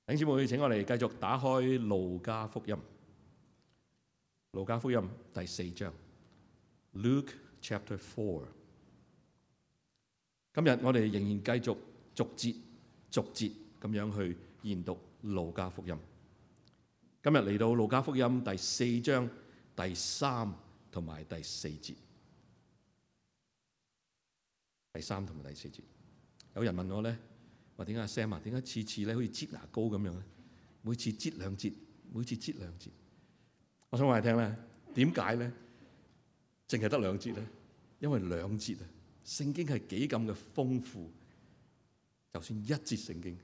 弟兄姊妹，請我哋繼續打開路加福音。路加福音第4章 Luke Chapter 4。今日我哋仍然繼續逐節咁樣去研讀路加福音。今日嚟到路加福音第4章第3同埋第4節。第3同埋第4節。有人問我咧，話點解 Sam 啊？點解次次咧好似擠牙膏咁樣咧？每次擠兩節，每次擠兩節。我想話你聽咧，點解咧？淨係得兩節咧？因為兩節啊，聖經係幾咁嘅豐富。就算一節聖經，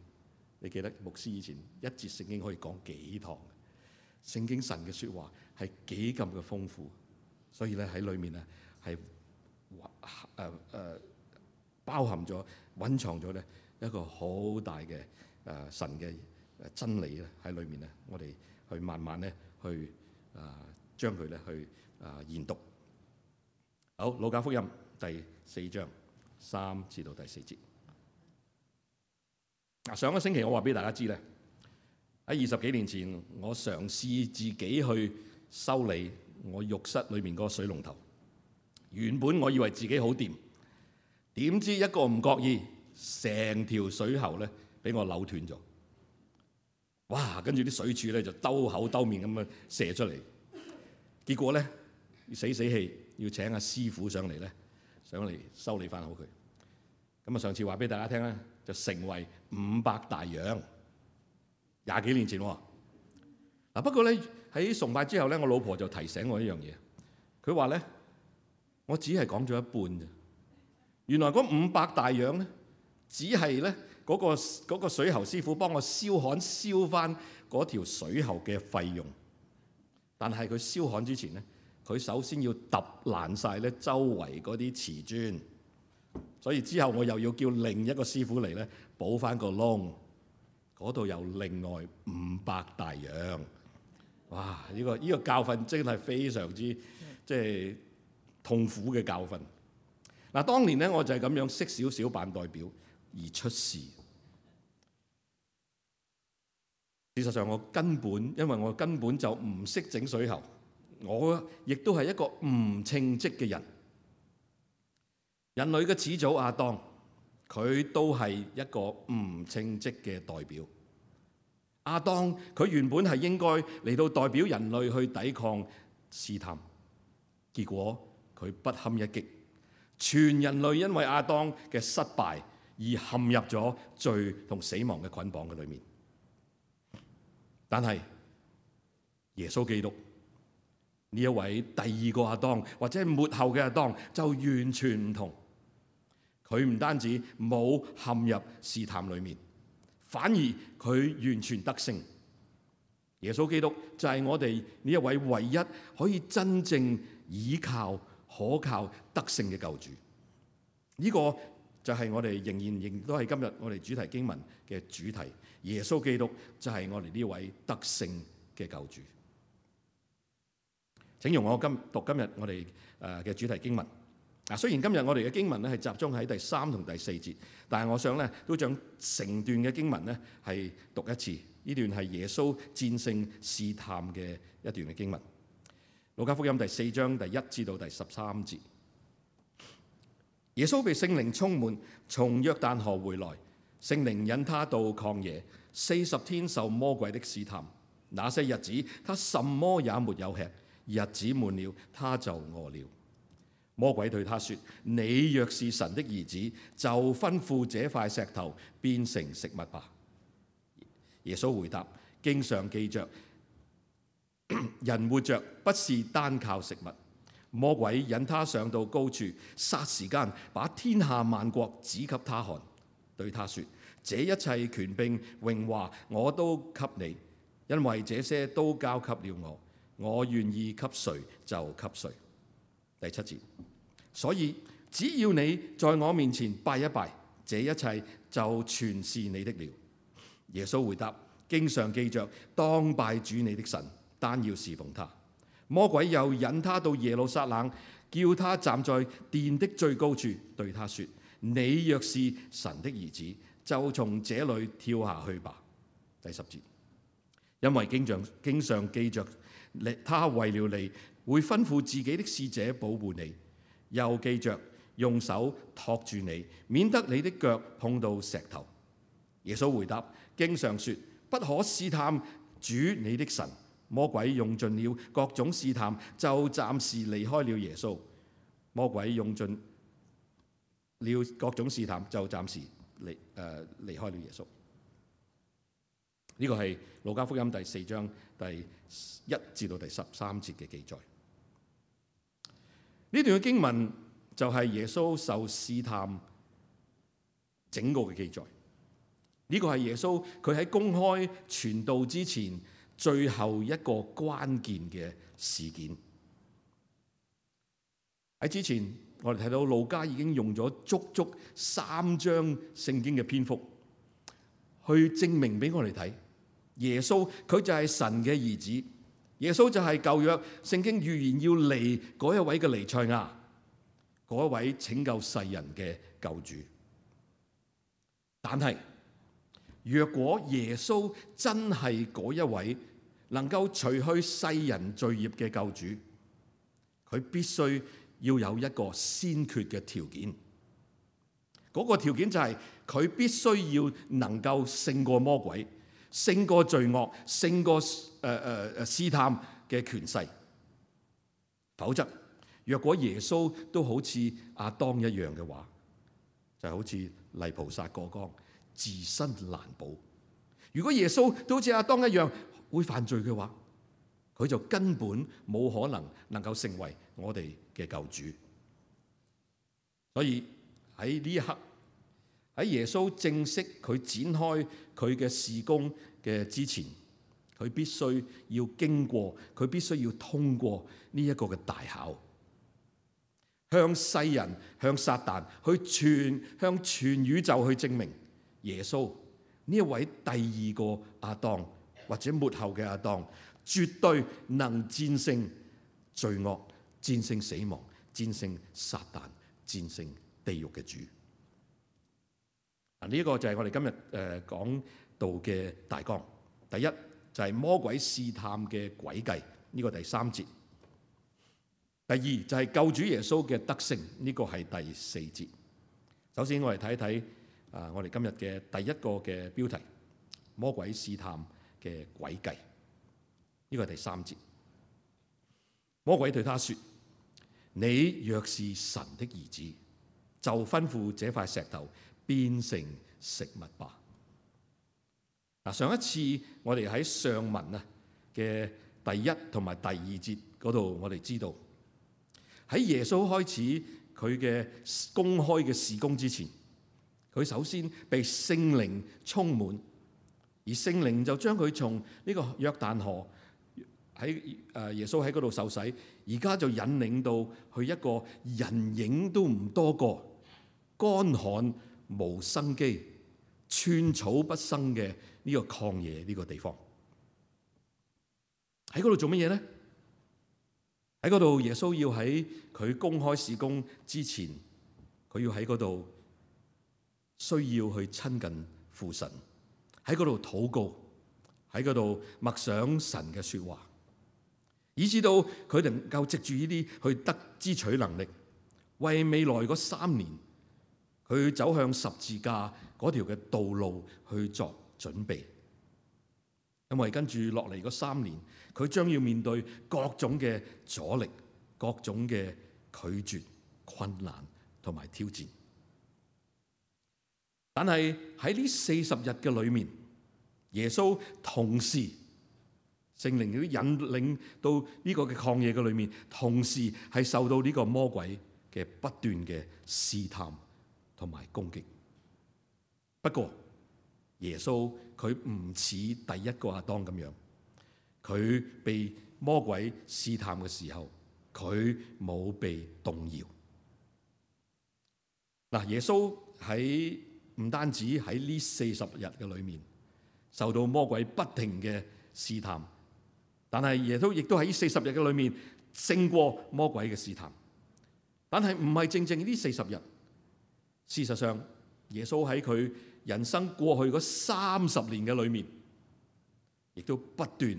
你記得牧師以前一節聖經可以講幾堂。聖經神嘅説話係幾咁嘅豐富，所以咧喺裏面啊係包含咗、蘊藏咗咧一個好大嘅神嘅真理咧喺裏面咧，我哋去慢慢咧去將佢咧去研讀。好，路加福音第4章3至到第4節。上個星期我話俾大家知咧，喺20幾年前，我嘗試自己去修理我浴室裏面嗰個水龍頭。原本我以為自己好掂，點知一個唔覺意，成條水喉咧俾我扭斷咗。哇！跟住啲水柱咧就兜口兜面咁樣射出嚟。結果咧死氣要請阿師傅上嚟修理翻好佢。咁啊，上次話俾大家聽咧，就成為500大洋。20幾年前喎。不過咧喺崇拜之後咧，我老婆就提醒我一樣嘢。佢話咧，我只係講咗一半啫。原來嗰500大洋咧，只係咧嗰個水喉師傅幫我燒翻嗰條水喉嘅費用。但係佢燒焊之前咧，佢首先要揼爛晒咧周圍嗰啲瓷磚。所以之後我又要叫另一個師傅嚟咧補翻個窿，嗰度有另外500大洋。哇！呢個教訓真係非常之痛苦嘅教訓。嗱，當年咧我就係咁樣識少少扮代表而出事。事實上因為我根本就唔識整水喉，我亦都係一個唔稱職嘅人。人類嘅始祖亞當，佢都係一個唔稱職嘅代表。亞當佢原本係應該嚟到代表人類去抵抗試探，結果佢不堪一擊，全人類因為亞當嘅失敗而陷入咗罪同死亡嘅捆綁嘅裏面。但係耶穌基督呢一位第二個亞當，或者係末後嘅亞當，就完全唔同。佢唔單止冇陷入試探裏面，反而佢完全得勝。耶穌基督就係我哋呢一位唯一可以真正倚靠、可靠、得勝嘅救主。呢個就係我哋仍都係今日我哋主題經文嘅主題。耶穌基督就係我哋呢位得勝嘅救主。請容我讀今日我哋嘅主題經文。雖然今日我哋嘅經文咧係集中喺第3同第4節，但係我想咧都將成段嘅經文咧係讀一次。呢段係耶穌戰勝試探嘅一段嘅經文。路加福音第4章第1至到第13節。耶穌被聖靈充滿，從約旦河回來，聖靈引他到曠野，40天受魔鬼的試探。那些日子他什麼也沒有吃，日子滿了，他就餓了。魔鬼對他說：你若是神的兒子，就吩咐這塊石頭變成食物吧。耶穌回答：經上記着，人活着不是單靠食物。魔鬼引他上到高處，霎時間把天下萬國指給他看，對他說：這一切權柄榮華我都給你，因為這些都交給了我，我願意給誰就給誰。第7節，所以只要你在我面前拜一拜，這一切就全是你的了。耶穌回答：經上記着，當拜主你的神，單要侍奉他。魔鬼又引他到耶路撒冷，叫他站在殿的最高處，對他說：你若是神的兒子，就從這裏跳下去吧。第10節，因為經上記着他為了你，會吩咐自己的使者保護你，又記着用手托住你，免得你的腳碰到石頭。耶穌回答，經上說，不可試探主你的神。魔鬼用盡了各種試探，就暫時離開了耶穌。魔鬼用盡了各種試探，就暫時離開了耶穌。呢個係路加福音第4章第1至到第13節嘅記載。呢段嘅經文就係耶穌受試探整個嘅記載。呢個係耶穌佢喺公開傳道之前最後一個關鍵嘅事件。喺之前，我哋睇到路加已經用咗足足3章聖經嘅篇幅，去證明俾我哋睇，耶穌佢就係神嘅兒子，耶穌就係舊約聖經預言要嚟嗰一位嘅彌賽亞，嗰一位拯救世人嘅救主。但係，若果耶穌真係嗰一位能夠除去世人罪孽嘅救主，佢必須要有一個先決嘅條件。嗰個條件就係佢必須要能夠勝過魔鬼，勝過罪惡，勝過試探嘅權勢。否則，若果耶穌都好似亞當一樣嘅話，就好似泥菩薩過江，自身難保。如果耶穌都好似亞當一樣會犯罪嘅話，佢就根本冇可能夠成為我哋嘅救主。所以喺呢一刻，喺耶穌正式佢展開佢嘅事工嘅之前，佢必須要經過，佢必須要通過呢一個嘅大考，向世人、向撒旦向全宇宙去證明耶穌呢一位第二個亞當或者末後嘅亞當，絕對能戰勝罪惡、戰勝死亡、戰勝撒旦、戰勝地獄嘅主。呢一個就係我哋今日講道嘅大綱。第一就係魔鬼試探嘅詭計，呢個第3節。第二就係救主耶穌嘅得勝，呢個係第4節。首先我哋睇一睇我哋今日嘅第一個嘅標題：魔鬼試探嘅詭計，呢個係第3節。魔鬼對他說：你若是神的兒子，就吩咐這塊石頭變成食物吧。上一次我哋喺上文嘅第1同埋第2節嗰度，我哋知道喺耶穌開始佢嘅公開嘅事工之前，佢首先被聖靈充滿，而聖靈就將佢從呢個約旦河喺耶穌喺嗰度受洗，而家就引領到去一個人影都唔多個、乾旱無生機、寸草不生嘅呢個曠野呢個地方。喺嗰度做乜嘢呢？喺嗰度耶穌要喺佢公開事工之前，佢要喺嗰度需要去親近父神，喺嗰度禱告，喺嗰度默想神嘅說話，以至到佢能夠藉住呢啲去得支取能力，為未來嗰3年佢走向十字架嗰條嘅道路去作準備。因為跟住落嚟嗰3年，佢將要面對各種嘅阻力、各種嘅拒絕、困難同埋挑戰。但係喺呢40日嘅裏面，耶穌同時聖靈都引領到呢個嘅曠野嘅裏面，同時係受到呢個魔鬼嘅不斷嘅試探同埋攻擊。不過耶穌佢唔似第一個亞當咁樣，佢被魔鬼試探嘅時候，佢冇被動搖。嗱，耶穌喺唔單止喺呢40日嘅裏面受到魔鬼不停嘅試探，但係耶穌亦都喺呢40日嘅裏面勝過魔鬼嘅試探。但係唔係正正呢40日，事實上耶穌喺佢人生過去嗰30年嘅裏面，亦都不斷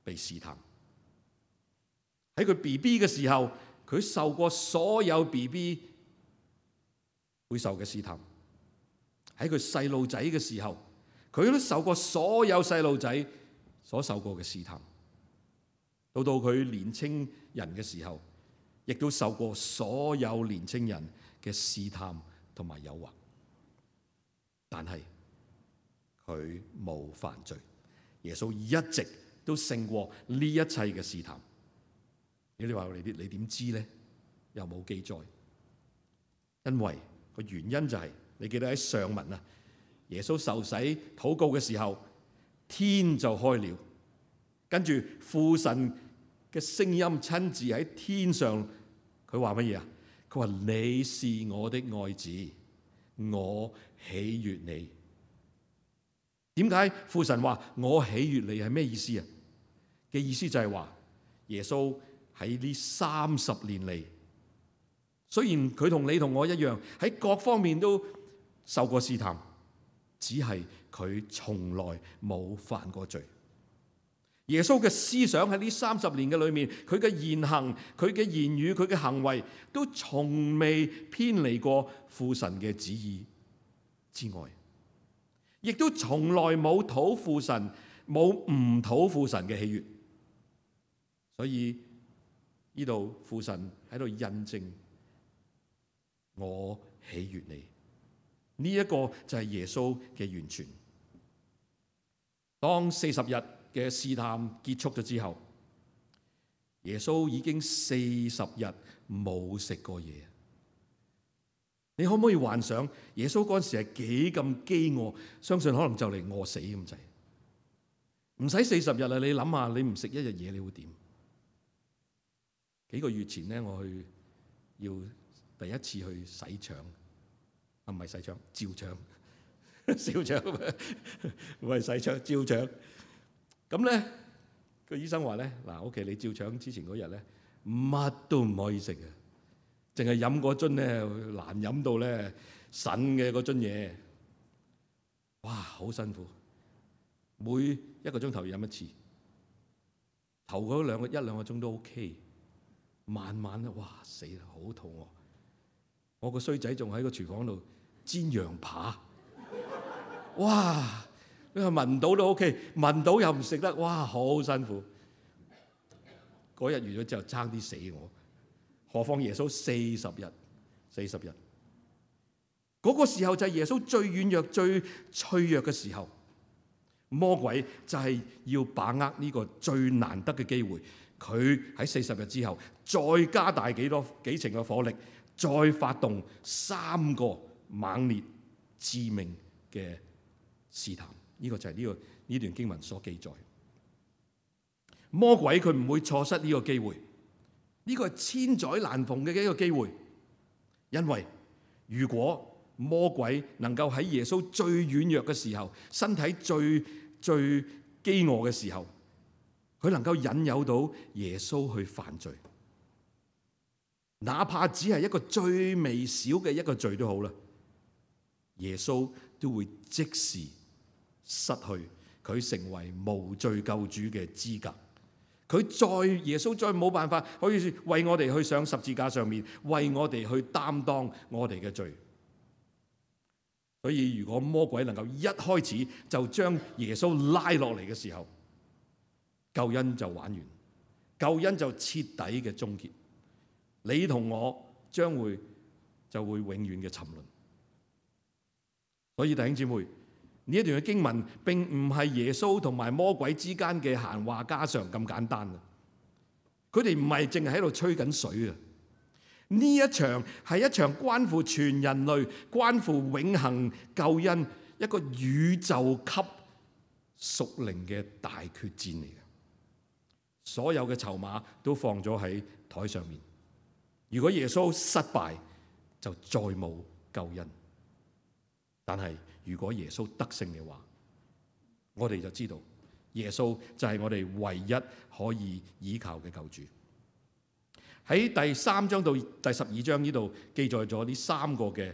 被試探。喺佢 BB 嘅時候，佢受過所有 BB 會受嘅試探；喺佢細路仔嘅時候，佢都受過所有細路仔所受過嘅試探。到佢年青人嘅時候，亦都受過所有年青人嘅試探同埋誘惑。但係佢冇犯罪，耶穌一直都勝過呢一切嘅試探。你話你點知咧？又冇記載。因為個原因就係，你記得喺上文啊，耶穌受洗禱告嘅時候，天就開了，跟住父神嘅聲音親自喺天上，佢話乜嘢啊？佢話你是我的愛子，我喜悅你。點解父神話我喜悅你係咩意思啊？嘅意思就係話耶穌喺呢30年嚟，雖然佢同你同我一樣喺各方面都受過試探，只係佢從來冇犯過罪。耶穌嘅思想喺呢30年嘅裏面，佢嘅言行、佢嘅言語、佢嘅行為，都從未偏離過父神嘅旨意之外，亦都從來冇討父神、冇唔討父神嘅喜悅。所以呢度父神喺度印證我喜悅你，呢一個就係耶穌嘅完全。當40日嘅試探結束咗之後，耶穌已經40日冇食過嘢。你可唔可以幻想耶穌嗰陣時係幾咁飢餓？相信可能就嚟餓死咁滯。唔使40日啦，你諗下，你唔食一日嘢，你會點？幾個月前咧，我要第一次去洗腸，唔係洗腸，照腸，燒腸，唔係洗腸，照腸。咁咧，個醫生話咧，嗱，OK，你照腸之前嗰日咧，乜都唔可以食嘅，淨係飲嗰樽咧，難飲到咧，腎嘅嗰樽嘢，哇，好辛苦，每1個鐘頭飲一次，頭嗰1兩個鐘都 OK。慢慢咧，哇死啦，好肚餓！我個衰仔仲喺個廚房度煎羊扒，哇！你話聞到都 OK， 聞到又唔食得，哇，好辛苦。嗰日完咗之後，爭啲死我。何況耶穌40日，嗰個時候就係耶穌最軟弱、最脆弱嘅時候。魔鬼就係要把握呢個最難得嘅機會。佢喺40日之後，再加大幾成嘅火力，再發動3個猛烈致命嘅試探。呢個就係呢段經文所記載。魔鬼佢唔會錯失呢個機會，呢個係千載難逢嘅一個機會。因為如果魔鬼能夠喺耶穌最軟弱嘅時候，身體最飢餓嘅時候，佢能夠引誘到耶穌去犯罪，哪怕只係一個最微小嘅一個罪都好啦，耶穌都會即時失去佢成為無罪救主嘅資格。耶穌再冇辦法可以為我哋去上十字架上面，為我哋去擔當我哋嘅罪。所以如果魔鬼能夠一開始就將耶穌拉落嚟嘅時候，救恩就玩完，救恩就徹底嘅終結，你同我就會永遠嘅沉淪。所以弟兄姊妹，呢一段嘅經文並唔係耶穌同埋魔鬼之間嘅閒話家常咁簡單啊！佢哋唔係淨係喺度吹緊水啊！呢一場係一場關乎全人類、關乎永恆救恩一個宇宙級屬靈嘅大決戰嚟嘅。所有嘅籌碼都放咗喺台上面。如果耶穌失敗，就再冇救恩。但係如果耶穌得勝嘅話，我哋就知道耶穌就係我哋唯一可以依靠嘅救主。喺第3章到第12章呢度記載咗呢3個嘅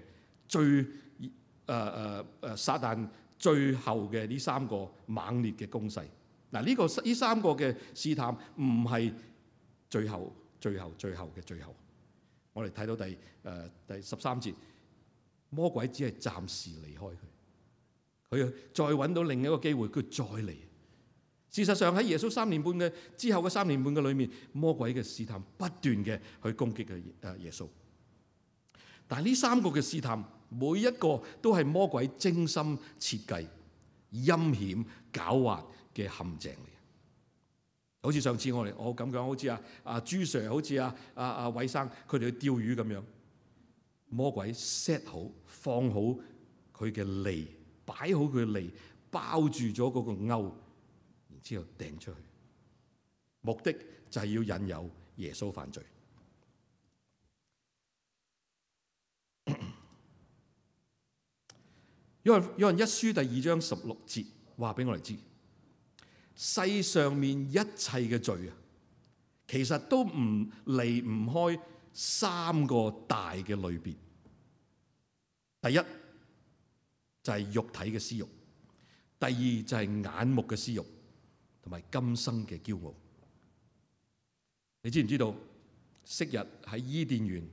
撒旦最後嘅呢3個猛烈嘅攻勢。嗱，呢三個嘅試探唔係最後。我哋睇到第13節，魔鬼只係暫時離開佢，佢再揾到另一個機會，佢再嚟。事實上喺耶穌3年半嘅之後嘅3年半嘅裏面，魔鬼嘅試探不斷嘅去攻擊嘅耶穌。但係呢三個嘅試探，每一個都係魔鬼精心設計、陰險狡猾嘅陷阱嚟。好似上次我咁講，好似朱 Sir， 好似偉生，佢哋去釣魚咁樣，魔鬼 set 好放好佢嘅餌，擺好佢嘅餌，包住咗嗰個鈎，然之後掟出去，目的就係要引誘耶穌犯罪。約翰一書第2章16節話俾我哋知，世上面一切嘅罪啊，其實都離唔開三個大嘅類別。第一就係肉體嘅私慾，第二就係眼目嘅私慾，同埋今生嘅驕傲。你知唔知道昔日喺伊甸園，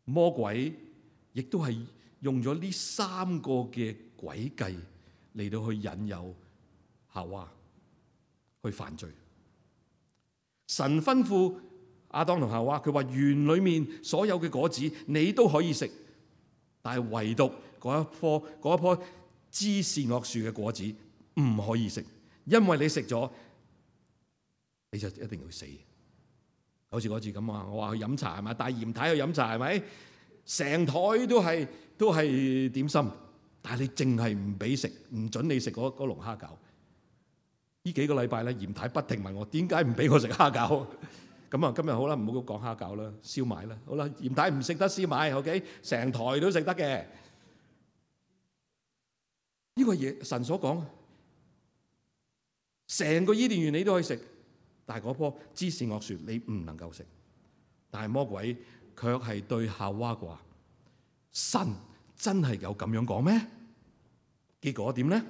魔鬼亦都係用咗呢三個嘅詭計嚟到去引誘夏娃去犯罪。神吩咐亞當同夏娃，佢話園裏面所有嘅果子你都可以食，但係唯獨嗰一棵知善惡樹嘅果子唔可以食，因為你食咗你就一定會死。好似嗰次咁啊，我話去飲茶係咪？帶嚴太去飲茶係咪？成台都係點心，但係你淨係唔俾食，唔准你食嗰龍蝦餃。呢幾個禮拜咧，嚴太不停問我點解唔俾我食蝦餃。咁啊，今日好啦，唔好講蝦餃啦，燒賣啦。好啦，嚴太唔食得燒賣 ，OK， 成台都食得嘅。呢個嘢神所講，成個伊甸園你都可以食，但係嗰棵知善惡樹你唔能夠食。但係魔鬼卻係對夏娃話：神真係有咁樣講咩？結果點呢？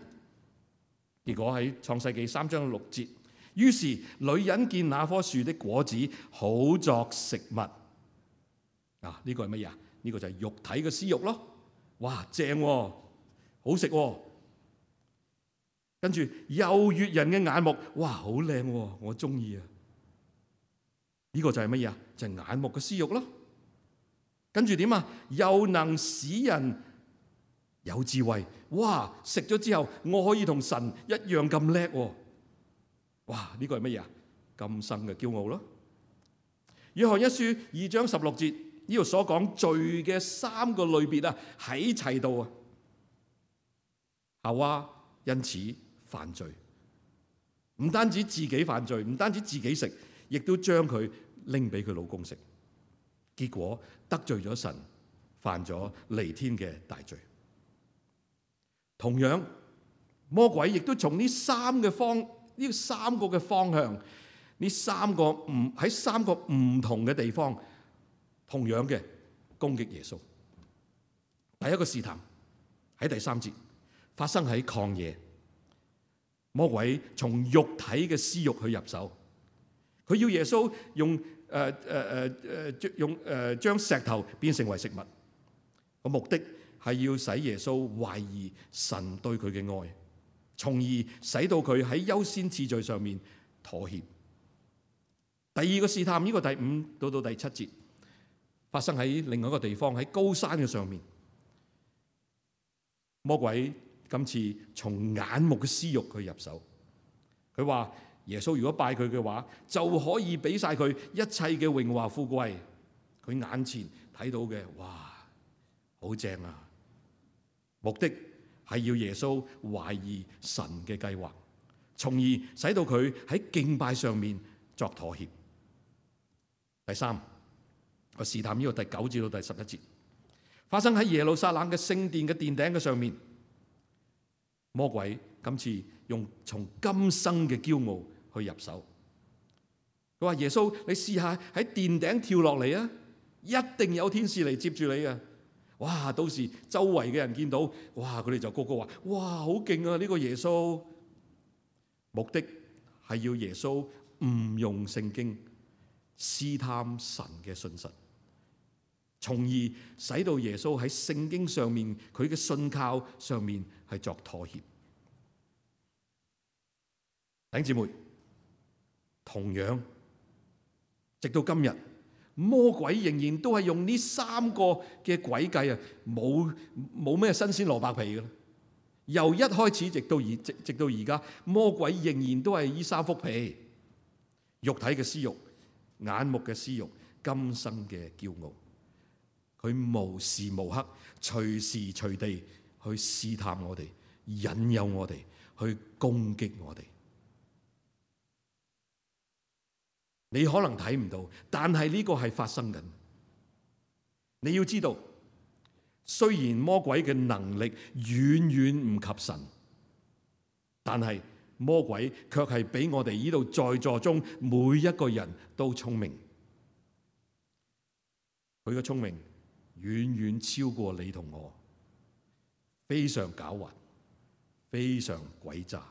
結果喺創世記3章6節，於是女人見那棵樹的果子好作食物。啊，呢個係乜嘢啊？呢個就係肉體嘅私慾咯。哇，正喎，好食喎。跟住又悅人嘅眼目，哇，好靚喎，我中意啊！呢個就係乜嘢啊？就係眼目嘅私慾咯。跟住點啊？又能使人有智慧，哇！食咗之後，我可以同神一樣咁叻喎！哇！呢個係乜嘢啊？今生嘅驕傲咯。約翰一書2章16節，呢度所講罪嘅三個類別啊，喺齊度啊。夏娃因此犯罪，唔單止自己犯罪，唔單止自己食，亦都將佢拎俾佢老公食，結果得罪咗神，犯咗彌天嘅大罪。同樣，魔鬼亦都從呢三個嘅方向，喺三個唔同嘅地方，同樣嘅攻擊耶穌。第一個試探喺第3節發生喺曠野，魔鬼從肉體嘅私慾去入手，佢要耶穌將石頭變成為食物，個目的係要使耶穌懷疑神對佢嘅愛，從而使到佢喺優先次序上面妥協。第二個試探，呢個第5到第7節發生喺另外一個地方，喺高山嘅上面。魔鬼今次從眼目嘅私慾去入手，佢話耶穌如果拜佢嘅話，就可以俾晒佢一切嘅榮華富貴。佢眼前睇到嘅，哇，好正啊！目的係要耶穌懷疑神嘅計劃，從而使到佢喺敬拜上面作妥協。第三個試探，呢個第9至到第11節發生喺耶路撒冷嘅聖殿嘅殿頂嘅上面。魔鬼今次用從今生嘅驕傲去入手，佢話耶穌，你試下喺殿頂跳落嚟啊，一定有天使嚟接住你啊！哇！到時周圍嘅人見到，哇！佢哋就個個話：哇，好勁啊！呢個耶穌。目的係要耶穌誤用聖經，試探神嘅信實，從而使到耶穌喺聖經上面佢嘅信靠上面係作妥協。弟兄姊妹，同樣直到今日，魔鬼仍然都係用呢三個嘅詭計啊，冇咩新鮮蘿蔔皮嘅啦。由一開始直到而家，魔鬼仍然都係呢三幅皮：肉體嘅私欲、眼目嘅私欲、今生嘅驕傲。佢無時無刻、隨時隨地去試探我哋、引誘我哋、去攻擊我哋。你可能睇唔到，但係呢個係發生緊。你要知道，雖然魔鬼嘅能力遠遠唔及神，但係魔鬼卻係比我哋呢度在座中每一個人都聰明。佢嘅聰明遠遠超過你同我，非常狡猾，非常詭詐。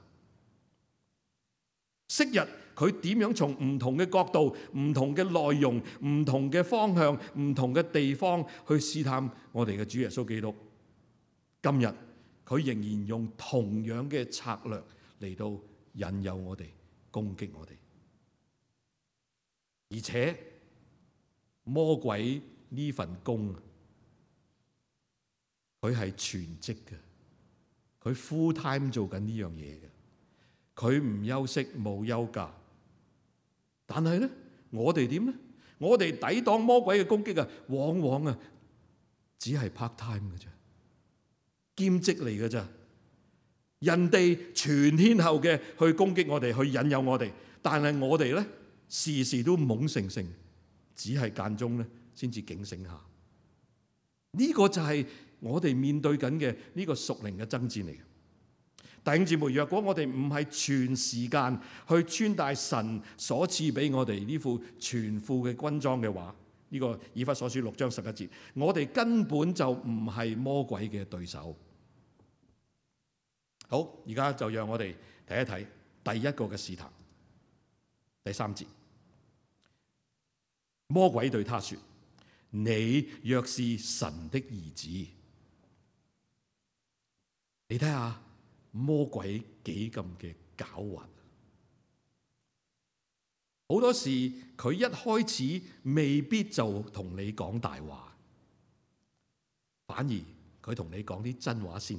昔日佢點樣從唔同嘅角度、唔同嘅內容、唔同嘅方向、唔同嘅地方去試探我哋嘅主耶穌基督，今日佢仍然用同樣嘅策略嚟到引誘我哋、攻擊我哋。而且魔鬼呢份工，佢係全職嘅，佢 full time 做緊呢樣嘢嘅。佢唔休息，冇休假，但係咧，我哋點咧？我哋抵擋魔鬼嘅攻擊啊，往往啊，只係 part time 嘅啫，兼職嚟嘅咋。人哋全天候嘅去攻擊我哋，去引誘我哋，但係我哋咧，時時都懵盛盛，只係間中咧先至警醒下。呢個就係我哋面對緊嘅呢個屬靈嘅爭戰嚟嘅。弟兄姊妹，若果我哋唔係全時間去穿戴神所賜俾我哋呢副全副嘅軍裝嘅話，呢個以弗所書6章11節，我哋根本就唔係魔鬼嘅對手。好，而家就讓我哋睇一睇第一個嘅試探，第3節。魔鬼對他說：你若是神的兒子。你睇下魔鬼幾咁嘅狡猾。好多時佢一開始未必就同你講大話，反而佢同你講啲真話先。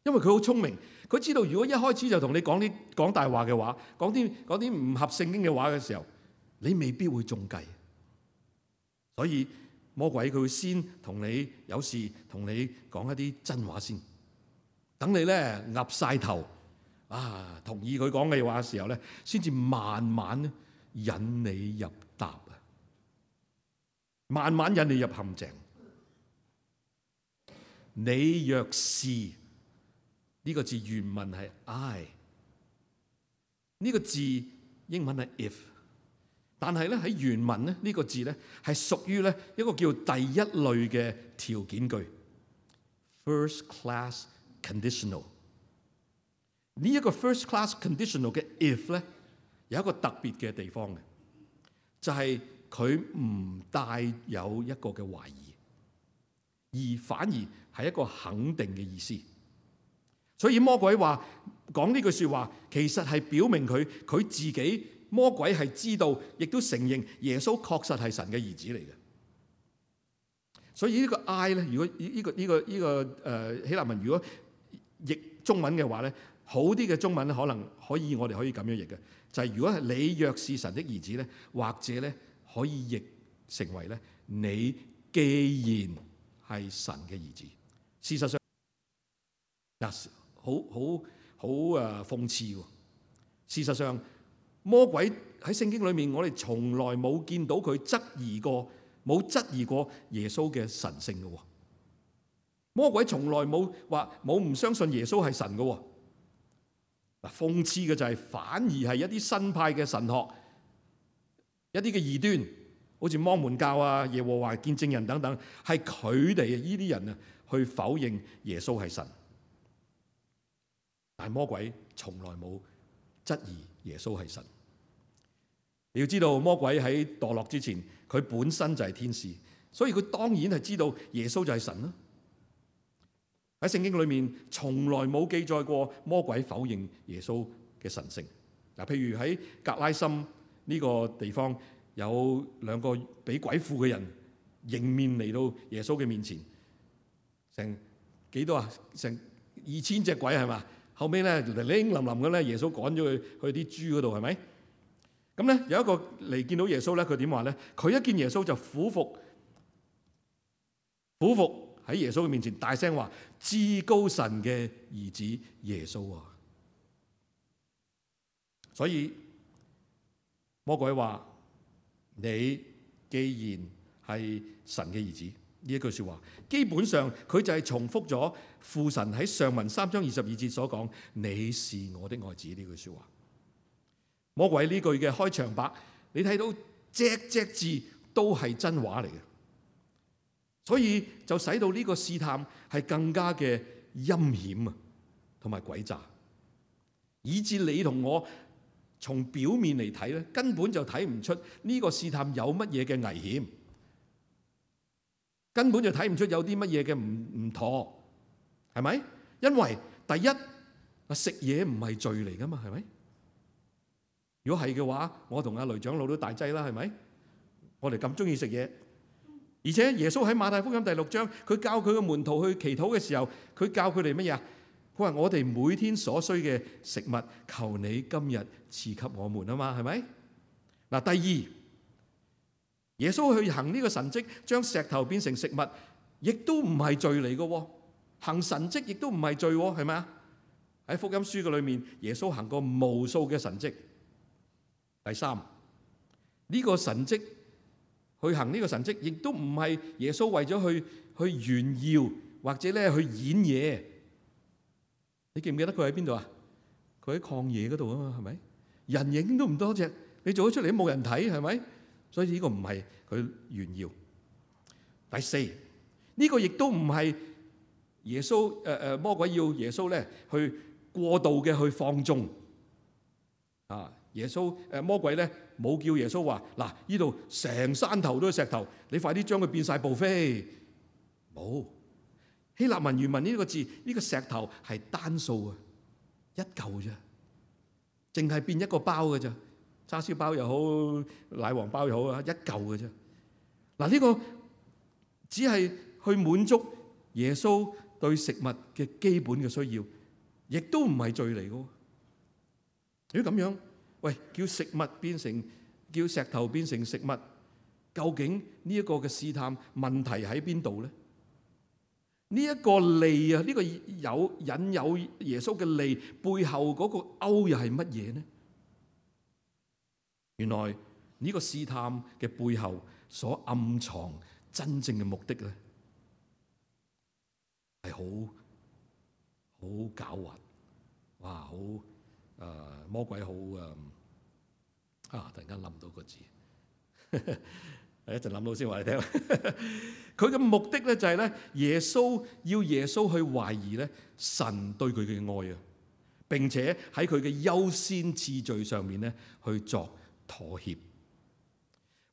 因為佢好聰明，佢知道如果一開始就同你講大話嘅話，講啲唔合聖經嘅話嘅時候，你未必會中計。所以魔鬼佢會先有時同你講一啲真話先，等你咧岌晒頭啊，同意佢講嘅話嘅時候咧，先至慢慢引你入答啊，慢慢引你入陷阱。你若是呢個字原文係 I， 呢個字英文係 if， 但係咧喺原文咧呢個字咧係屬於咧一個叫第一類嘅條件句 ，first class conditional。呢一個 first class conditional 嘅 if 咧有一個特別嘅地方嘅，就係佢唔帶有一個嘅懷疑，而反而係一個肯定嘅意思。所以魔鬼話講呢句說話，其實係表明佢自己，魔鬼係知道，亦都承認耶穌確實係神嘅兒子嚟嘅。所以呢個 I 咧，如果呢個希臘文如果譯中文嘅話咧，好啲嘅中文可能我哋可以咁樣譯嘅，就係如果係你若是神的兒子咧，或者咧可以譯成為咧你既然係神嘅兒子。事實上嗱，好諷刺喎。事實上，魔鬼喺聖經裏面，我哋從來冇見到佢質疑過耶穌嘅神性嘅。魔鬼從來冇唔相信耶穌係神嘅。嗱，諷刺嘅就係反而係一啲新派嘅神學，一啲嘅異端，好似摩門教啊、耶和華見證人等等，係佢哋呢啲人啊去否認耶穌係神。但係魔鬼從來冇質疑耶穌係神。你要知道，魔鬼喺墮落之前，佢本身就係天使，所以佢當然係知道耶穌就係神啦。喺聖經裏面，從來冇記載過魔鬼否認耶穌嘅神性。嗱，譬如喺格拉森呢個地方，有兩個俾鬼附嘅人迎面嚟到耶穌嘅面前，成幾多啊？成2000隻鬼係嘛？後尾咧零零冧冧咁咧，耶穌趕咗佢去啲豬嗰度，係咪？咁咧有一個嚟見到耶穌咧，佢點話咧？佢一見耶穌就俯伏喺耶穌嘅面前，大聲話：至高神嘅兒子耶穌啊！所以魔鬼話：你既然係神嘅兒子，呢一句說話，基本上佢就係重複咗父神喺上文3章22節所講：你是我的愛子呢句說話。魔鬼呢句嘅開場白，你睇到隻隻字都係真話嚟嘅，所以就使到呢個試探係更加嘅陰險啊，同埋詭詐，以致你同我從表面嚟睇咧，根本就睇唔出呢個試探有乜嘢嘅危險，根本就睇唔出有啲乜嘢嘅唔妥，係咪？因為第一，食嘢唔係罪嚟噶嘛，係咪？如果係嘅話，我同阿雷長老都大劑啦，係咪？我哋咁中意食嘢，而且耶穌喺馬太福音第6章，佢教佢嘅門徒去祈禱嘅時候，佢教佢哋乜嘢啊？佢話我哋每天所需嘅食物，求你今日賜給我們啊嘛，係咪？嗱，第二，耶穌去行呢個神蹟，將石頭變成食物，亦都唔係罪嚟嘅。行神蹟亦都唔係罪，係咪啊？喺福音書嘅裏面，耶穌行過無數嘅神蹟。第三，呢個神蹟去行呢個神蹟，亦都唔係耶穌為咗去炫耀或者咧去演嘢。你記唔記得佢喺邊度啊？佢喺曠野嗰度啊嘛，係咪？人影都唔多隻，你做咗出嚟都冇人睇，係咪？所以呢個唔係佢炫耀。第四，呢個亦都唔係耶穌魔鬼要耶穌咧去過度嘅去放縱啊。耶穌魔鬼咧冇叫耶穌話嗱，呢度成山頭都係石頭，你快啲將佢變晒步飛。冇，希臘文原文呢個字，呢個石頭係單數啊，一嚿啫，淨係變一個包嘅啫，叉燒包又好，奶黃包又好啊，一嚿嘅啫。嗱，呢個只係去滿足耶穌對食物嘅基本嘅需要，亦都唔係罪嚟嘅。如果咁樣，喂，叫食物變成，叫石頭變成食物，究竟呢一個嘅試探問題喺邊度咧？呢一個利啊，呢個引誘耶穌嘅利背後嗰個勾又係乜嘢呢？原來呢個試探嘅背後所暗藏真正嘅目的咧，係好狡猾，哇！好魔鬼好突然間諗到個字，一陣諗到先話你聽。佢嘅目的咧就係咧，耶穌去懷疑咧神對佢嘅愛啊，並且喺佢嘅優先次序上面咧去作妥協。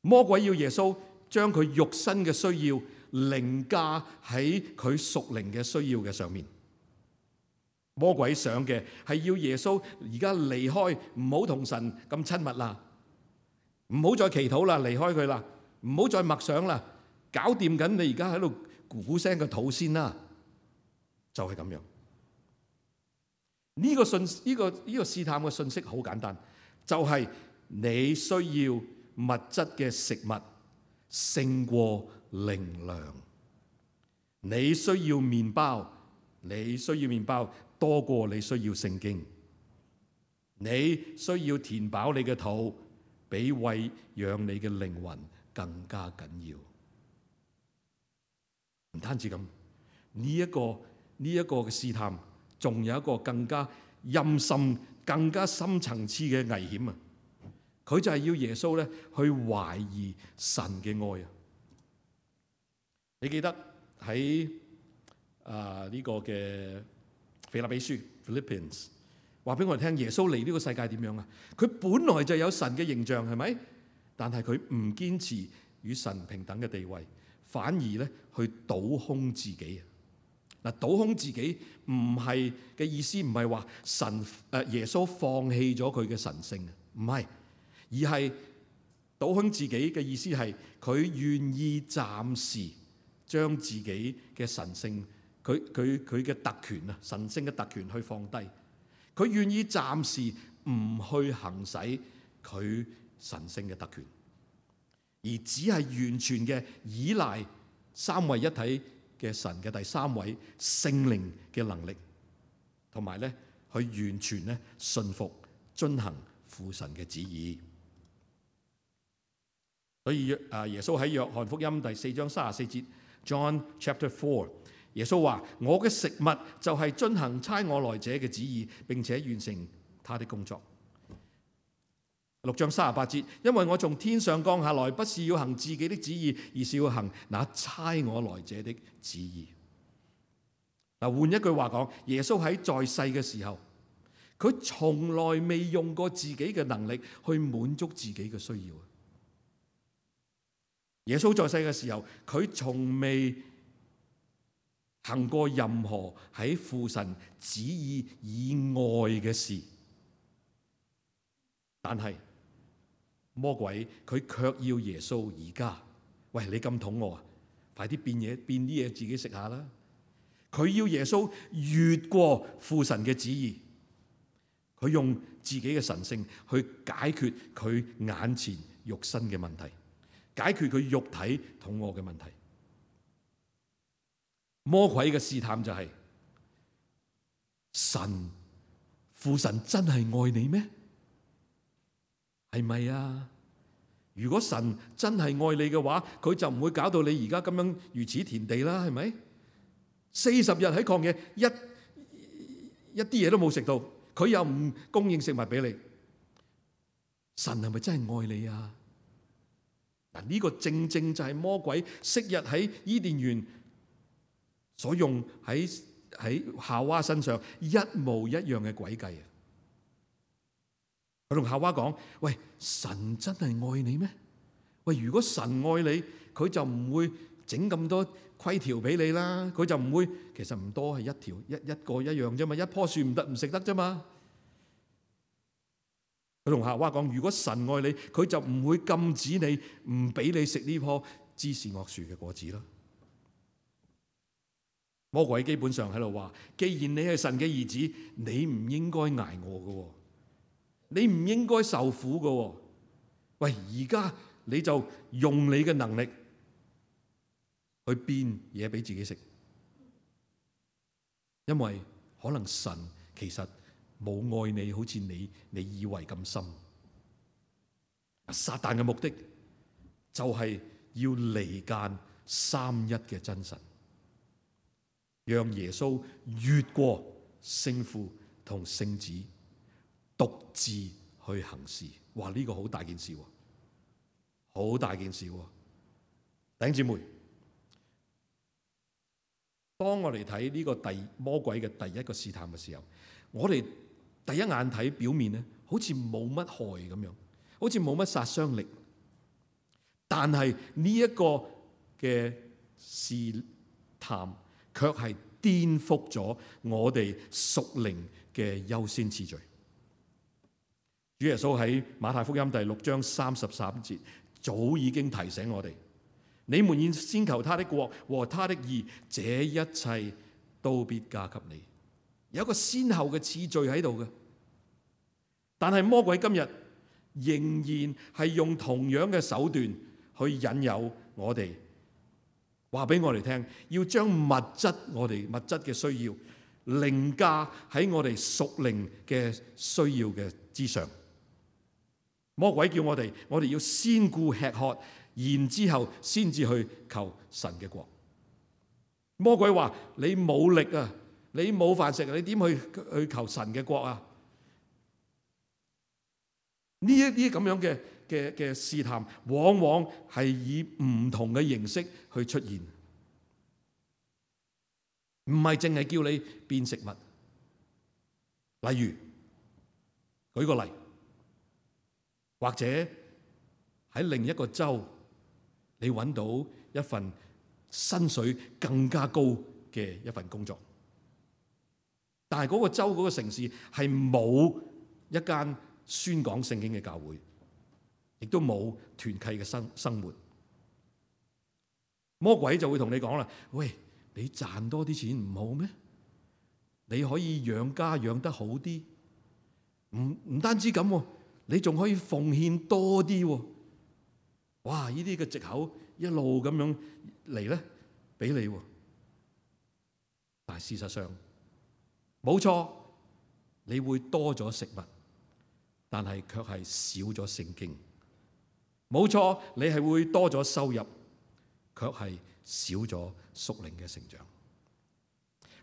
魔鬼要耶穌將佢肉身嘅需要凌駕喺佢屬靈嘅需要嘅上面。魔鬼想嘅係要耶穌而家離開，唔好同神咁親密啦，唔好再祈禱啦，離開佢啦，唔好再默想啦，搞掂緊你而家喺度咕咕聲嘅肚先啦，就係咁樣。呢個試探嘅信息好簡單，就係你需要物質嘅食物勝過靈糧，你需要麵包多過你需要聖經，你需要填飽你嘅肚，比餵養你嘅靈魂更加緊要。唔單止咁，呢一個嘅試探，仲有一個更加陰森、更加深層次嘅危險啊！佢就係要耶穌咧去懷疑神嘅愛啊！你記得喺呢個嘅腓立比書 Philippians 話俾我哋聽，耶穌嚟呢個世界點樣啊？佢本來就有神嘅形象，係咪？但係佢唔堅持與神平等嘅地位，反而咧去倒空自己。嗱，倒空自己唔係嘅意思，唔係話耶穌放棄咗佢嘅神性，唔係，而係倒空自己嘅意思係佢願意暫時將自己嘅神性，佢嘅特權啊，神性嘅特權去放低，佢願意暫時唔去行使佢神性嘅特權，而只係完全嘅依賴三位一體嘅神嘅第三位聖靈嘅能力，同埋咧去完全咧順服遵行父神嘅旨意。所以耶穌喺約翰福音第4章34節 John chapter 4，耶穌話：我嘅食物就係遵行差我來者嘅旨意，並且完成他的工作。6章38節，因為我從天上降下來，不是要行自己的旨意，而是要行那差我來者的旨意。嗱，換一句話講，耶穌喺在世嘅時候，佢從來未用過自己嘅能力去滿足自己嘅需要。耶穌在世嘅時候，佢從未行過任何喺父神旨意以外嘅事，但係魔鬼佢卻要耶穌而家，喂，你咁肚餓啊，快啲變啲嘢自己食下啦！佢要耶穌越過父神嘅旨意，佢用自己嘅神性去解決佢眼前肉身嘅問題，解決佢肉體肚餓嘅問題。魔鬼嘅試探就係：父神真係愛你咩？係咪啊？如果神真係愛你嘅話，佢就唔會搞到你而家咁樣如此田地啦，係咪？40日喺曠野，一啲嘢都冇食到，佢又唔供應食物俾你，神係咪真係愛你啊？嗱，呢個正正就係魔鬼昔日喺伊甸園所用喺夏娃身上一模一樣嘅詭計啊！佢同夏娃講：喂，神真係愛你咩？喂，如果神愛你，佢就唔會整咁多規條俾你啦。佢就唔會，其實唔多，係一條一個一樣啫嘛。一棵樹唔食得啫嘛。佢同夏娃講：如果神愛你，佢就唔會禁止你，唔俾你食呢棵知識惡樹嘅果子啦。魔鬼基本上喺度話：既然你係神嘅兒子，你唔應該捱餓嘅，你唔應該受苦嘅。喂，而家你就用你嘅能力去變嘢俾自己食，因為可能神其實冇愛你，好似你以為咁深。撒旦嘅目的就係要離間三一嘅真神，讓耶穌越過聖父同聖子，獨自去行事。哇！呢個好大件事，好大件事。弟兄姊妹，當我哋睇呢個魔鬼嘅第一個試探嘅時候，我哋第一眼睇表面咧，好似冇乜害咁樣，好似冇乜殺傷力。但係呢一個嘅試探，卻係顛覆咗我哋屬靈嘅優先次序。主耶穌喺馬太福音第6章33節早已經提醒我哋：你們要先求他的國和他的義，這一切都必加給你。有一個先後嘅次序喺度嘅。但係魔鬼今日仍然係用同樣嘅手段去引誘我哋，話俾我哋聽，要將我哋物質嘅需要凌駕喺我哋屬靈嘅需要嘅之上。魔鬼叫我哋要先顧吃喝，然之後先至去求神嘅國。魔鬼話：你冇力啊，你冇飯食，你點去求神嘅國啊？呢一啲咁樣嘅試探，往往係以唔同嘅形式去出現，唔係淨係叫你變食物。例如舉個例，或者喺另一個州，你揾到一份薪水更加高嘅一份工作，但係嗰個州嗰個城市係冇一間宣講聖經嘅教會，亦都冇團契嘅生活。魔鬼就會同你講啦：喂，你賺多啲錢唔好咩？你可以養家養得好啲，唔單止咁，你仲可以奉獻多啲。哇！呢啲嘅藉口一路咁樣嚟咧，俾你。但係事實上冇錯，你會多咗食物，但係卻係少咗聖經。冇錯，你係會多咗收入，卻係少咗屬靈嘅成長。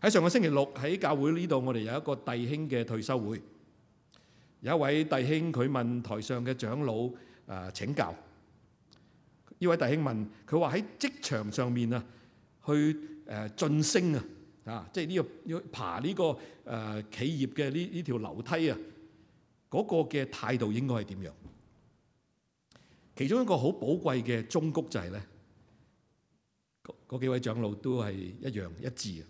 喺上個星期六喺教會呢度，我哋有一個弟兄嘅退休會，有一位弟兄佢問台上嘅長老請教。呢位弟兄問佢話喺職場上面啊，去晉升即係呢個要爬呢個企業嘅呢條樓梯啊，嗰個嘅態度應該係點樣？其中一個好寶貴嘅忠告就係咧，嗰幾位長老都係一樣一致啊！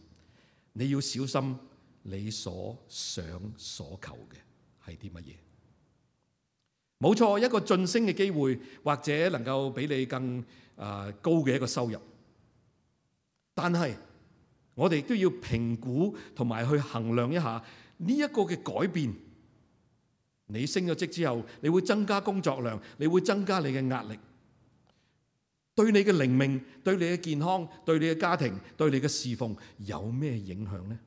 你要小心你所想所求嘅係啲乜嘢？冇錯，一個晉升嘅機會，或者能夠俾你更高嘅一個收入，但係我哋都要評估同埋去衡量一下呢一個嘅改變。你升咗職之後，你會增加工作量，你會增加你嘅壓力，對你嘅靈命、對你嘅健康、對你嘅家庭、對你嘅侍奉有咩影響呢？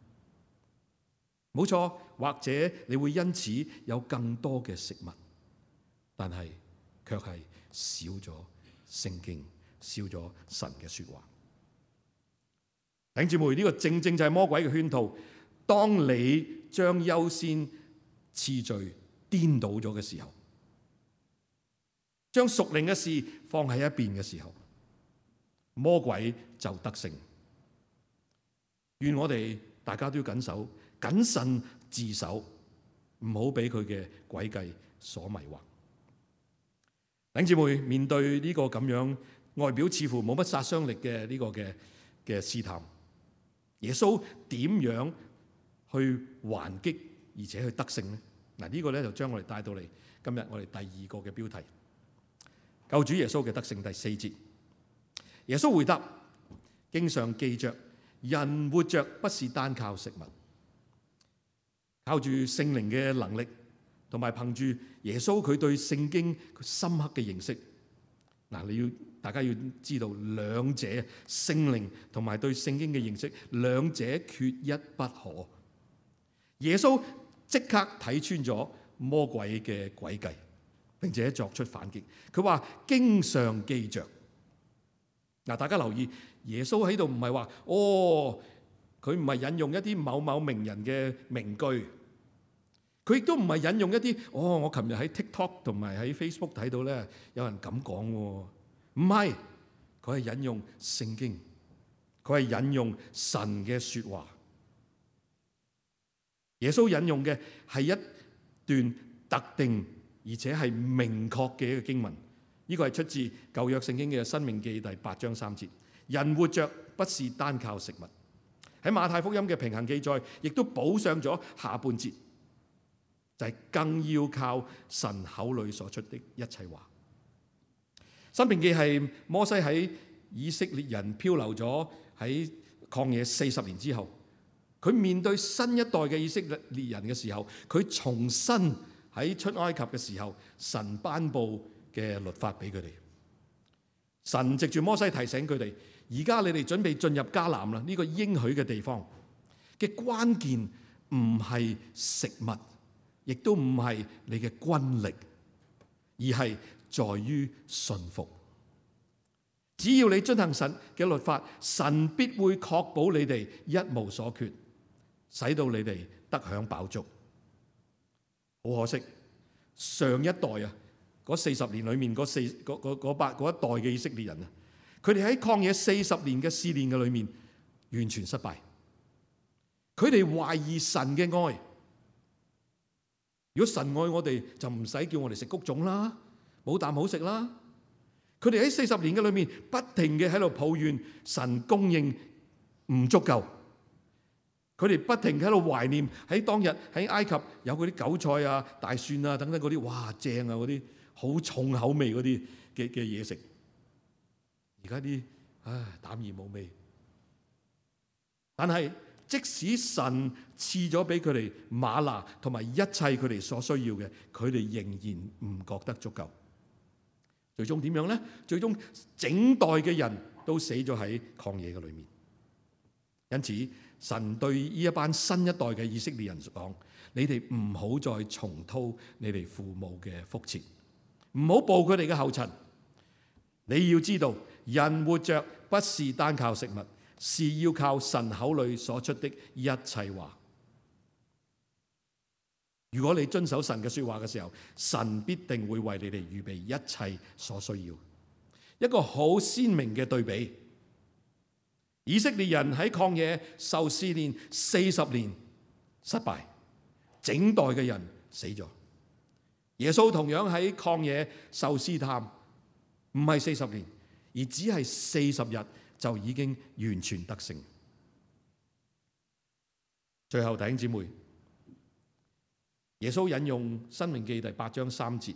冇錯，或者你會因此有更多嘅食物，但係卻係少咗聖經，少咗神嘅說話。弟兄姊妹，呢個正正就係魔鬼嘅圈套。當你將優先次序顛倒咗嘅時候，將屬靈嘅事放喺一邊嘅時候，魔鬼就得勝。願我哋大家都要謹慎自守，唔好俾佢嘅詭計所迷惑。弟兄姊妹，面對呢個咁樣外表似乎冇乜殺傷力嘅呢個嘅試探，耶穌點樣去還擊而且去得勝呢？嗱，呢個咧就將我哋帶到嚟今日我哋第二個嘅標題，救主耶穌嘅得勝。第4節，耶穌回答：經上記着，人活着不是單靠食物，靠住聖靈嘅能力，同埋憑住耶穌佢對聖經深刻嘅認識。嗱，大家要知道兩者，聖靈同埋對聖經嘅認識，兩者缺一不可。耶穌即刻睇穿咗魔鬼嘅詭計，並且作出反擊。佢話經上記着。嗱，大家留意，耶穌喺度唔係話佢唔係引用一啲某某名人嘅名句，佢亦都唔係引用一啲我琴日喺 TikTok 同埋喺 Facebook 睇到咧有人咁講，唔係，佢係引用聖經，佢係引用神嘅說話。耶穌引用嘅係一段特定而且係明確嘅一個經文，呢個係出自舊約聖經嘅申命記第8章3節。人活着不是單靠食物。喺馬太福音嘅平衡記載，亦都補上咗下半節，就係更要靠神口裏所出的一切話。申命記係摩西喺以色列人漂流咗喺曠野40年之後，佢面對新一代嘅以色列人嘅時候，佢重新喺出埃及嘅時候，神頒布嘅律法俾佢哋。神藉住摩西提醒佢哋，而家你哋準備進入迦南啦，呢個應許嘅地方嘅關鍵唔係食物，亦都唔係你嘅軍力，而係在於信服。只要你遵行神嘅律法，神必會確保你哋一無所缺，使到你哋得享飽足。好可惜，上一代嗰40年裏面嗰一代嘅以色列人啊，佢哋喺曠野40年嘅試煉嘅裏面完全失敗。佢哋懷疑神嘅愛，如果神愛我哋，就唔使叫我哋食谷種啦，冇啖好食啦。佢哋喺40年嘅裏面，不停嘅喺度抱怨神供應唔足夠。佢哋不停喺度懷念喺當日喺埃及有嗰啲韭菜啊、大蒜啊等等嗰啲，哇正啊，嗰啲好重口味嗰啲嘅嘢食。而家啲淡而無味。但係即使神賜咗俾佢哋嗎哪同埋一切佢哋所需要嘅，佢哋仍然唔覺得足夠。最終點樣呢？最終整代嘅人都死咗喺曠野嘅裏面。因此神對呢一班新一代嘅以色列人講：你哋唔好再重蹈你哋父母嘅覆轍，唔好步佢哋嘅後塵。你要知道，人活着不是單靠食物，是要靠神口裏所出的一切話。如果你遵守神嘅說話嘅時候，神必定會為你哋預備一切所需要。一個好鮮明嘅對比，以色列人喺曠野受試煉40年失敗，整代嘅人死咗。耶穌同樣喺曠野受試探，唔係40年，而只係40日就已經完全得勝。最後弟兄姊妹，耶穌引用《申命記》第8章3節，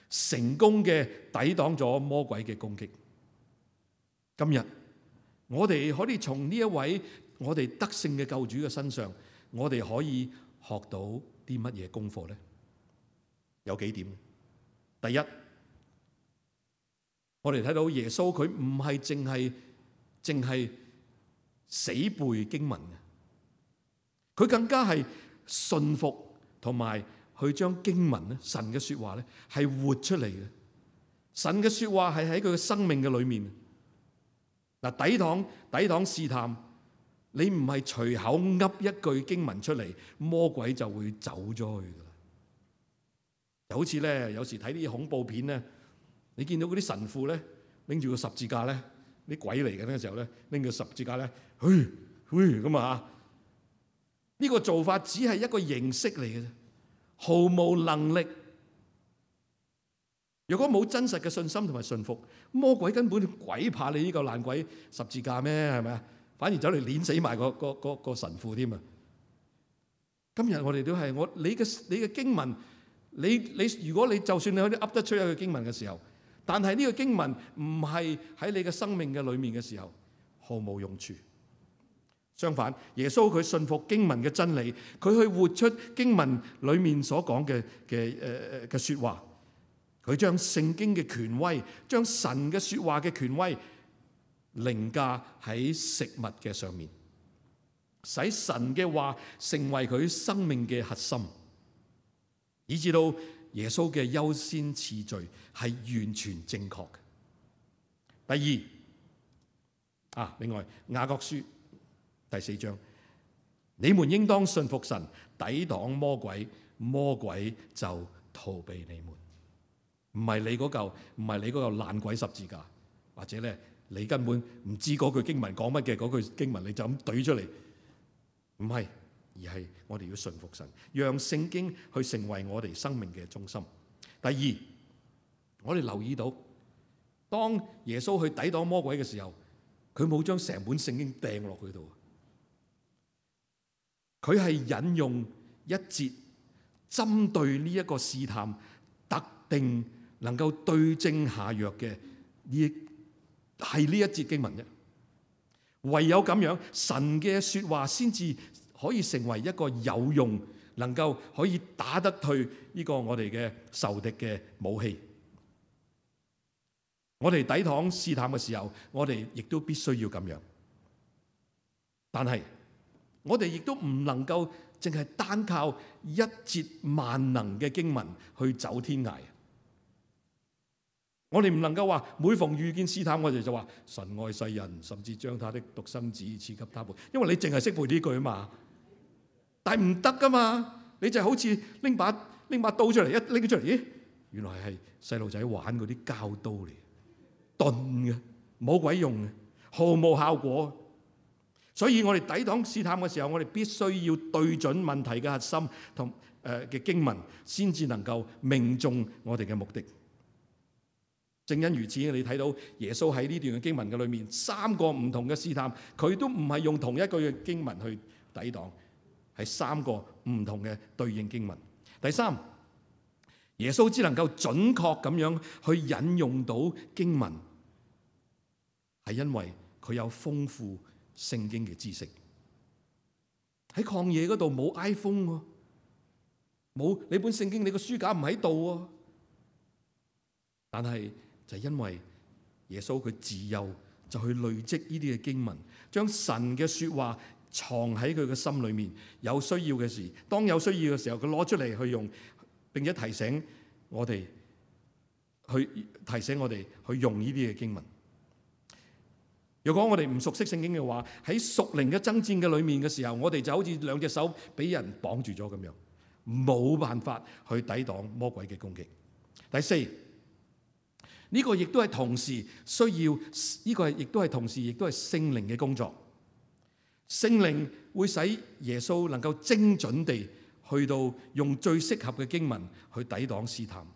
成功嘅抵擋咗魔鬼嘅攻擊。今日我哋可以從呢一位我哋得勝嘅救主嘅身上，我哋可以學到啲乜嘢功課呢？有幾點。第一，我哋睇到耶穌佢唔係淨係死背經文嘅，佢更加係信服同埋去將經文咧、神嘅說話咧係活出嚟嘅。神嘅說話係喺佢嘅生命嘅裏面。嗱，抵擋試探，你唔係隨口噏一句經文出嚟，魔鬼就會走咗去噶啦。就好似咧，有時睇啲恐怖片咧，你見到嗰啲神父咧拎住個十字架咧，啲鬼嚟緊嘅時候咧，拎個十字架咧，咁啊！呢個做法只係一個形式嚟嘅啫，毫無能力。如果冇真實嘅信心同埋信服，魔鬼根本鬼怕你呢個爛鬼十字架咩？係咪啊？反而走嚟碾死埋個神父添啊！今日我哋都係你嘅經文，你如果你就算你可以噏得出一個經文嘅時候，但係呢個經文唔係喺你嘅生命嘅裏面嘅時候，毫無用處。相反，耶穌佢信服經文嘅真理，佢去活出經文裏面所講嘅說話，佢將聖經嘅權威，將神嘅說話嘅權威凌駕喺食物嘅上面，使神嘅話成為佢生命嘅核心，以至到耶穌嘅優先次序係完全正確嘅。第二，另外雅各書第4章，你們應當信服神，抵擋魔鬼，魔鬼就逃避你們。唔係你嗰嚿爛鬼十字架，或者咧你根本唔知嗰句經文講乜嘅，嗰句經文你就咁懟出嚟，唔係，而係我哋要信服神，讓聖經去成為我哋生命嘅中心。第二，我哋留意到，當耶穌去抵擋魔鬼嘅時候，佢冇將成本聖經掟落去度，佢係引用一節針對呢一個試探，特定能夠對症下藥嘅係呢一節經文啫。唯有咁樣，神嘅說話先至可以成為一個有用，能夠可以打得退呢個我哋嘅仇敵嘅武器。我哋抵擋試探嘅時候，我哋亦都必須要咁樣。但係我哋亦都唔能夠淨係單靠一節萬能嘅經文去走天涯。我哋唔能夠話每逢遇見試探，我哋就話神愛世人，甚至將他的獨生子賜給他們。因為你淨係識背呢句啊嘛，但係唔得噶嘛。你就好似拎把刀出嚟，一拎出嚟，咦，原來係細路仔玩嗰啲膠刀嚟，鈍嘅，冇鬼用嘅，毫無效果。所以我哋抵擋試探嘅時候，我哋必須要對準問題嘅核心，同嘅經文，先至能夠命中我哋嘅目的。正因如此，你睇到耶穌喺呢段嘅經文嘅裏面，3個唔同嘅試探，佢都唔係用同一句嘅經文去抵擋，係3個唔同嘅對應經文。第三，耶穌只能夠準確咁樣去引用到經文，係因為佢有豐富聖經嘅知識。喺曠野嗰度冇 iPhone 喎，冇你本聖經，你個書架唔喺度喎，但係就係因為耶穌佢自幼就去累積呢啲嘅經文，將神嘅說話藏喺佢嘅心裏面。有需要嘅時，當有需要嘅時候，佢攞出嚟去用，並且提醒我哋去用呢啲嘅經文。如果我哋唔熟悉聖經嘅話，喺屬靈嘅爭戰嘅裏面嘅時候，我哋就好似兩隻手俾人綁住咗咁樣，冇辦法去抵擋魔鬼嘅攻擊。第四，呢個亦都係同時需要，呢個亦都係同時亦都係聖靈嘅工作。聖靈會使耶穌能夠精準地去到用最適合嘅經文去抵擋試探。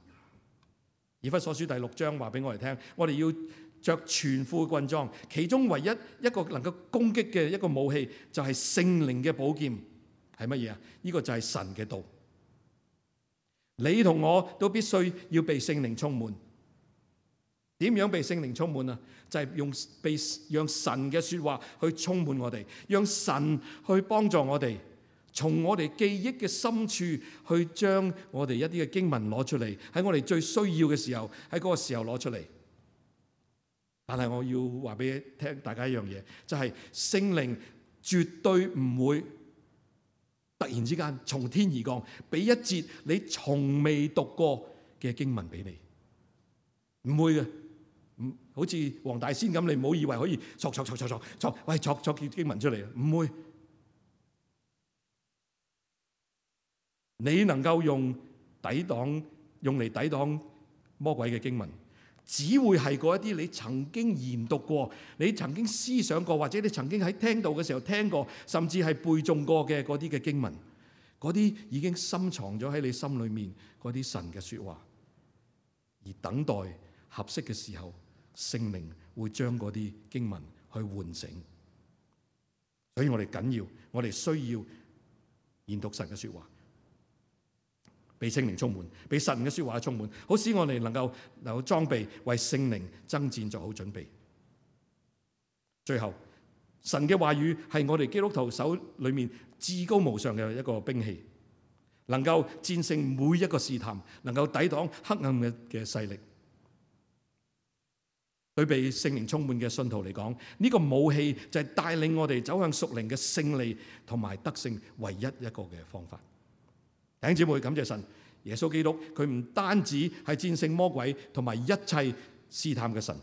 以弗所書第6章話俾我哋聽，我哋要着全副軍裝，其中唯一一個能夠攻擊嘅一個武器就係聖靈嘅寶劍。係乜嘢啊？呢個就係神嘅道。你同我都必須要被聖靈充滿。點樣被聖靈充滿啊？就係讓神嘅說話去充滿我哋，讓神去幫助我哋，從我哋記憶嘅深處去將我哋一啲嘅經文攞出嚟，喺我哋最需要嘅時候，喺嗰個時候攞出嚟。但係我要話俾聽大家一樣嘢，就係聖靈絕對唔會突然之間從天而降，俾一節你從未讀過嘅經文俾你，唔會嘅。好似黃大仙咁，你唔好以為可以作經文出嚟，唔會。你能夠用嚟抵擋魔鬼嘅經文，只會係嗰一啲你曾經研讀過、你曾經思想過，或者你曾經喺聽道嘅時候聽過，甚至係背誦過嘅嗰啲嘅經文，嗰啲已經深藏咗喺你心裏面嗰啲神嘅說話，而等待合適嘅時候，聖靈會將嗰啲經文去喚醒。所以我哋緊要，我哋需要研讀神嘅說話，被聖靈充滿，被神嘅說話充滿，好使我哋能夠裝備，為聖靈爭戰做好準備。最後，神嘅話語係我哋基督徒手裏面至高無上嘅一個兵器，能夠戰勝每一個試探，能夠抵擋黑暗嘅勢力。對被聖靈充滿嘅信徒嚟講，呢個武器就係帶領我哋走向屬靈嘅勝利同埋得勝唯一一個嘅方法。弟兄姊妹，感謝神，耶穌基督佢唔單止係戰勝魔鬼同埋一切試探嘅神，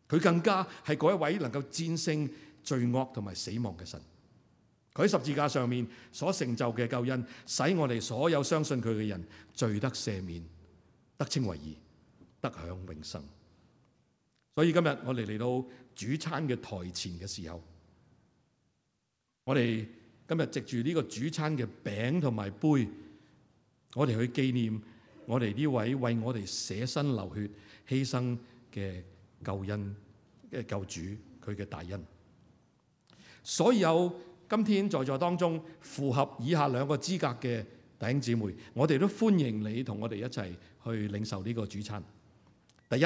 佢更加係嗰一位能夠戰勝罪惡同埋死亡嘅神。佢喺十字架上面所成就嘅救恩，使我哋所有相信佢嘅人罪得赦免，得稱為義，得享永生。所以今日我哋嚟到主餐嘅台前嘅時候，我哋今日藉住呢個主餐嘅餅同埋杯，我哋去紀念我哋呢位為我哋捨身流血犧牲嘅救恩嘅救主，佢嘅大恩。所有今天在座當中符合以下兩個資格嘅弟兄姊妹，我哋都歡迎你同我哋一齊去領受呢個主餐。第一，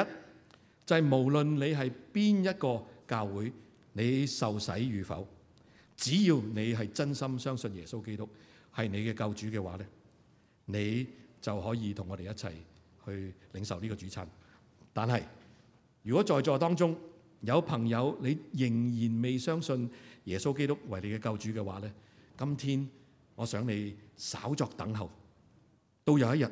就係無論你係邊一個教會，你受洗與否，只要你係真心相信耶穌基督係你嘅救主嘅話咧，你就可以同我哋一齊去領受呢個主餐。但係如果在座當中有朋友你仍然未相信耶穌基督為你嘅救主嘅話咧，今天我想你稍作等候，到有一日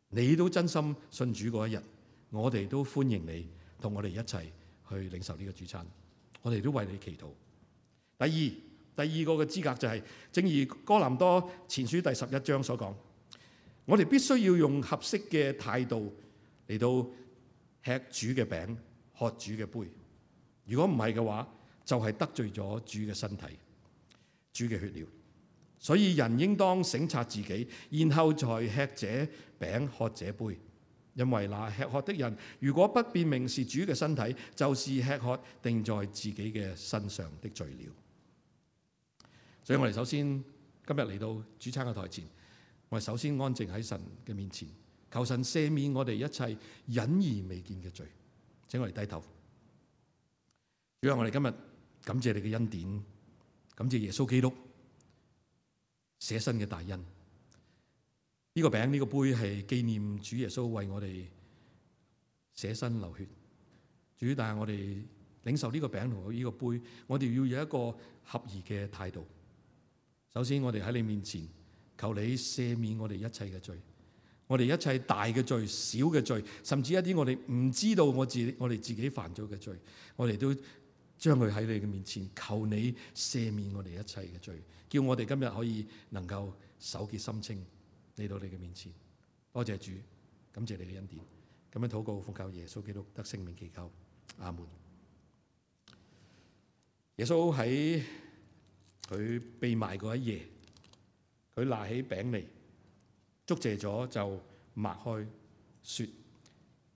你都真心信主嗰一日，我哋都歡迎你同我哋一齊去領受呢個主餐，我哋都為你祈禱。第二個嘅資格就係，正如哥林多前書第11章所講，我哋必須要用合適嘅態度嚟到吃主嘅餅，喝主嘅杯。如果唔係嘅話，就係得罪咗主嘅身體、主嘅血了。所以人應當省察自己，然後才吃這餅喝這杯。因為那吃喝的人，如果不辨明是主嘅身體，就是吃喝定在自己嘅身上的罪了。所以我哋首先今日嚟到主餐嘅台前，我哋首先安靜喺神嘅面前，求神赦免我哋一切隱而未見嘅罪。請我哋低頭。主啊，我哋今日感謝你嘅恩典，感謝耶穌基督捨身嘅大恩。呢個餅呢個杯係紀念主耶穌為我哋捨身流血。主，但係我哋領受呢個餅同呢個杯，我哋要有一個合宜嘅態度。首先，我哋喺你面前求你赦免我哋一切嘅罪，我哋一切大嘅罪、小嘅罪，甚至一啲我哋唔知道我哋自己犯咗嘅罪，我哋都將佢喺你嘅面前求你赦免我哋一切嘅罪，叫我哋今日可以能夠手潔心清嚟到你嘅面前。多謝主，感謝你嘅恩典。咁樣禱告奉靠耶穌基督得聖名祈求，阿門。耶穌喺佢被賣嗰一夜，佢拿起餅嚟，祝謝咗就擘開，說：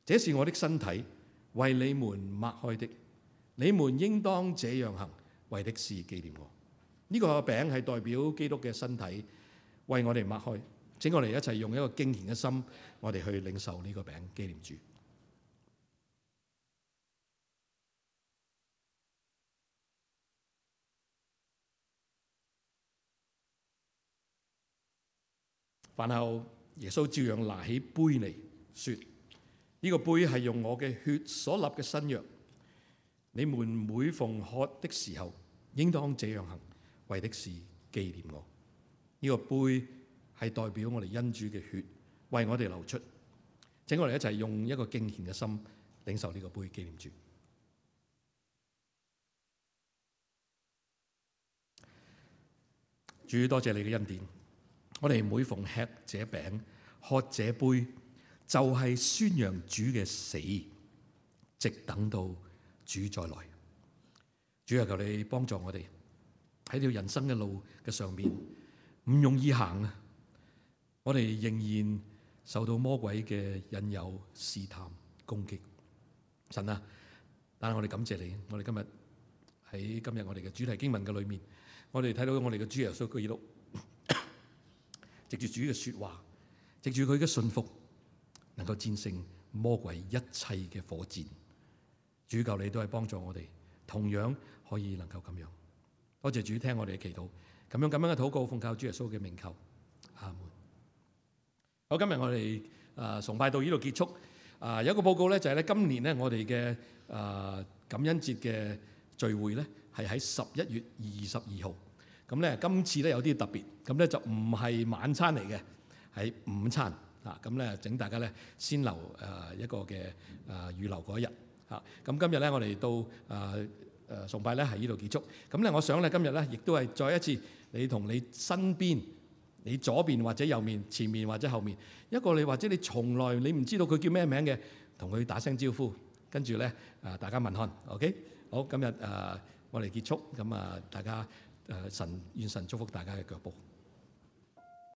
這是我的身體，為你們擘開的，你們應當這樣行，為的是紀念我。呢個餅係代表基督嘅身體，為我哋擘開。請我哋一齊用一個敬虔嘅心，我哋去領受呢個餅，紀念主。飯後，耶穌照樣拿起杯嚟，說：呢個杯係用我嘅血所立嘅新約，你們每逢喝的時候，應當這樣行，為的是紀念我。呢個杯係代表我哋恩主嘅血為我哋流出。請我哋一齊用一個敬虔嘅心領受呢個杯，紀念主。主，多謝你嘅恩典。我哋每逢吃這餅、喝這杯，就係宣揚主嘅死，直等到主再來。主啊，求你幫助我哋喺條人生嘅路嘅上面，唔容易行啊！我哋仍然受到魔鬼嘅引誘、試探、攻擊。神啊，但係我哋感謝你，我哋今日我哋嘅主題經文嘅裏面，我哋睇到我哋嘅主耶穌基督藉住主嘅說話，藉住佢嘅信服，能夠戰勝魔鬼一切嘅火箭。主，求你都係幫助我哋，同樣可以能夠咁樣。多謝主聽我哋嘅祈禱，咁樣嘅禱告奉靠主耶穌嘅名求，阿門。好，今日我哋崇拜到呢度結束。有一個報告咧，就係咧今年咧我哋嘅感恩節嘅聚會咧係喺11月22號。咁咧今次咧有啲特別，咁咧就唔係晚餐嚟嘅，係午餐啊。咁咧請大家咧先留一個嘅預留嗰一日嚇。咁今日咧我哋到崇拜咧喺呢度結束。咁咧我想咧今日咧亦都係再一次，你同你身邊、你左邊或者右面、前面或者後面一個你或者你從來你唔知道佢叫咩名嘅，同佢打聲招呼，跟住咧大家問看 ，OK？ 好，今日我哋結束，咁大家願神祝福大家嘅腳步。